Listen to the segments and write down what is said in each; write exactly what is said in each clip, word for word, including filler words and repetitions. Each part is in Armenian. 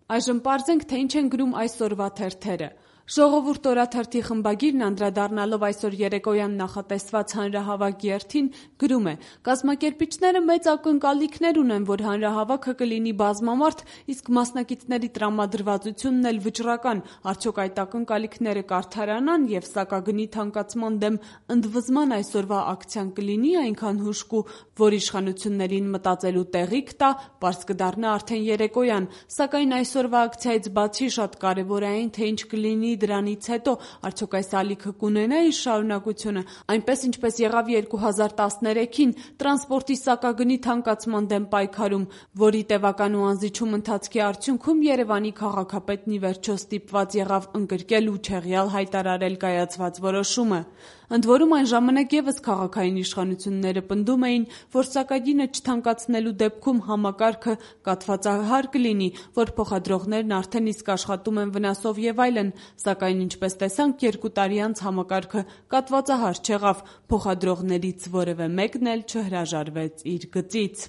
Այժմ պարզենք, թե ինչ են գրում այսօրվա թերթերը։ Ժողովուրդ օրաթերթի խմբագիրն անդրադառնալով այսօր երեկոյան նախատեսված հանրահավաք երթին գրում է. «Կազմակերպիչները մեծ ակնկալիքներ ունեն, որ հանրահավաքը կլինի բազմամարդ, իսկ մասնակիցների տրամադրվածությունն էլ վճռական, արդյոք այդ ակնկալիքները կարդարանան եւ սակագնի թանկացման դեմ ընդվզման այսօրվա ակցիան կլինի այնքան հուժկու, որ իշխանություններին մտածելու տեղիք տա, պարզ կդառնա արդեն երեկոյան, սակայն այսօրվա ակցիայից բացի շատ կարեւոր է այն, թե ինչ կլինի դրանից հետո, արդյոք այս ալիքը կունենա իր շարունակությունը, այնպես ինչպես եղավ երկու հազար տասներեքին տրանսպորտի սակագնի թանկացման դեմ պայքարում, որի տևական ու անզիջում ընթացքի արդյունքում Երևանի քաղաքապետն ի վերջո ստիպված եղավ ընկրկել ու չեղյալ հայտարարել կայացված որոշումը։ Ընդ որում այն ժամանակ եւս քաղաքային իշխանությունները պնդում էին, որ սակագինը չթանկացնելու դեպքում համակարգը կաթվածահար կլինի, որ փոխադրողներն արդեն իսկ աշխատում են վնասով եւ այլն, սակայն ինչպես տեսանք, երկու տարի անց համակարգը կաթվածահար չեղավ, փոխադրողներից որևէ մեկն էլ չհրաժարվեց իր գծից»։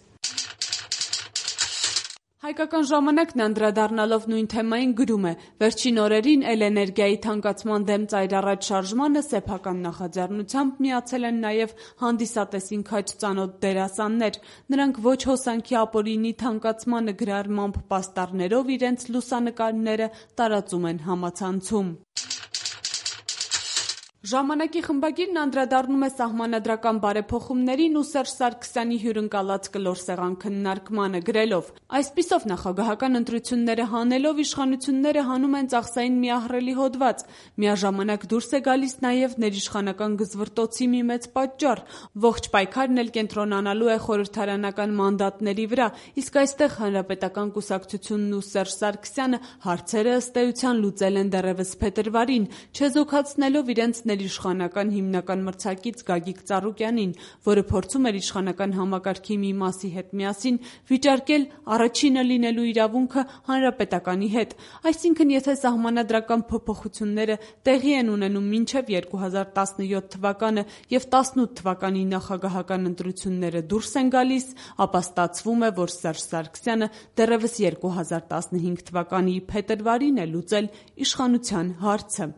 Հայկական ժամանակն անդրադառնալով նույն թեմային գրում է. «Վերջին օրերին էլէներգիայի թանկացման դեմ ծայրառաջ շարժմանը սեփական նախաձեռնությամբ միացել են նաև հանդիսատեսին քաջ ծանոթ դերասաններ։ Նրանք ոչ հոսանքի ապօրինի թանկացմանը գրառմամբ պաստառներով իրենց լուսանկարները տարածում են համացանցում»։ Ժամանակի խմբագիրն անդրադառնում է սահմանադրական բարեփոխումներին ու Սերժ Սարգսյանի հյուրընկալած կլոր սեղան քննարկմանը գրելով. «Այսպիսով նախագահական ընտրությունները հանելով իշխանությունները հանում են ծախսային մի ահռելի հոդված։ Միաժամանակ դուրս է գալիս նաև ներիշխանական գզվռտոցի մի մեծ պատճառ։ Ողջ պայքարն էլ կենտրոնանալու է խորհրդարանական մանդատների վրա, իսկ այստեղ Հանրապետական կուսակցությունն ու Սերժ Սարգսյանը հարցերը ըստ էության լուծել են դեռևս փետրվարին, չեզոքացնելով իրենց ներիշխանական հիմնական մրցակից Գագիկ Ծառուկյանին, որը փորձում էր իշխանական համակարգի մի մասի հետ միասին վիճարկել առաջինը լինելու իրավունքը Հանրապետականի հետ։ Այսինքն, եթե սահմանադրական փոփոխությունները տեղի են ունենում մինչև երկու հազար տասնյոթ թվականը եւ տասնութ թվականի նախագահական ընտրությունները դուրս են գալիս, ապա ստացվում է, որ Սերժ Սարգսյանը դեռևս երկու հազար տասնհինգ թվականի փետրվարին է լուծել իշխանության հարցը»։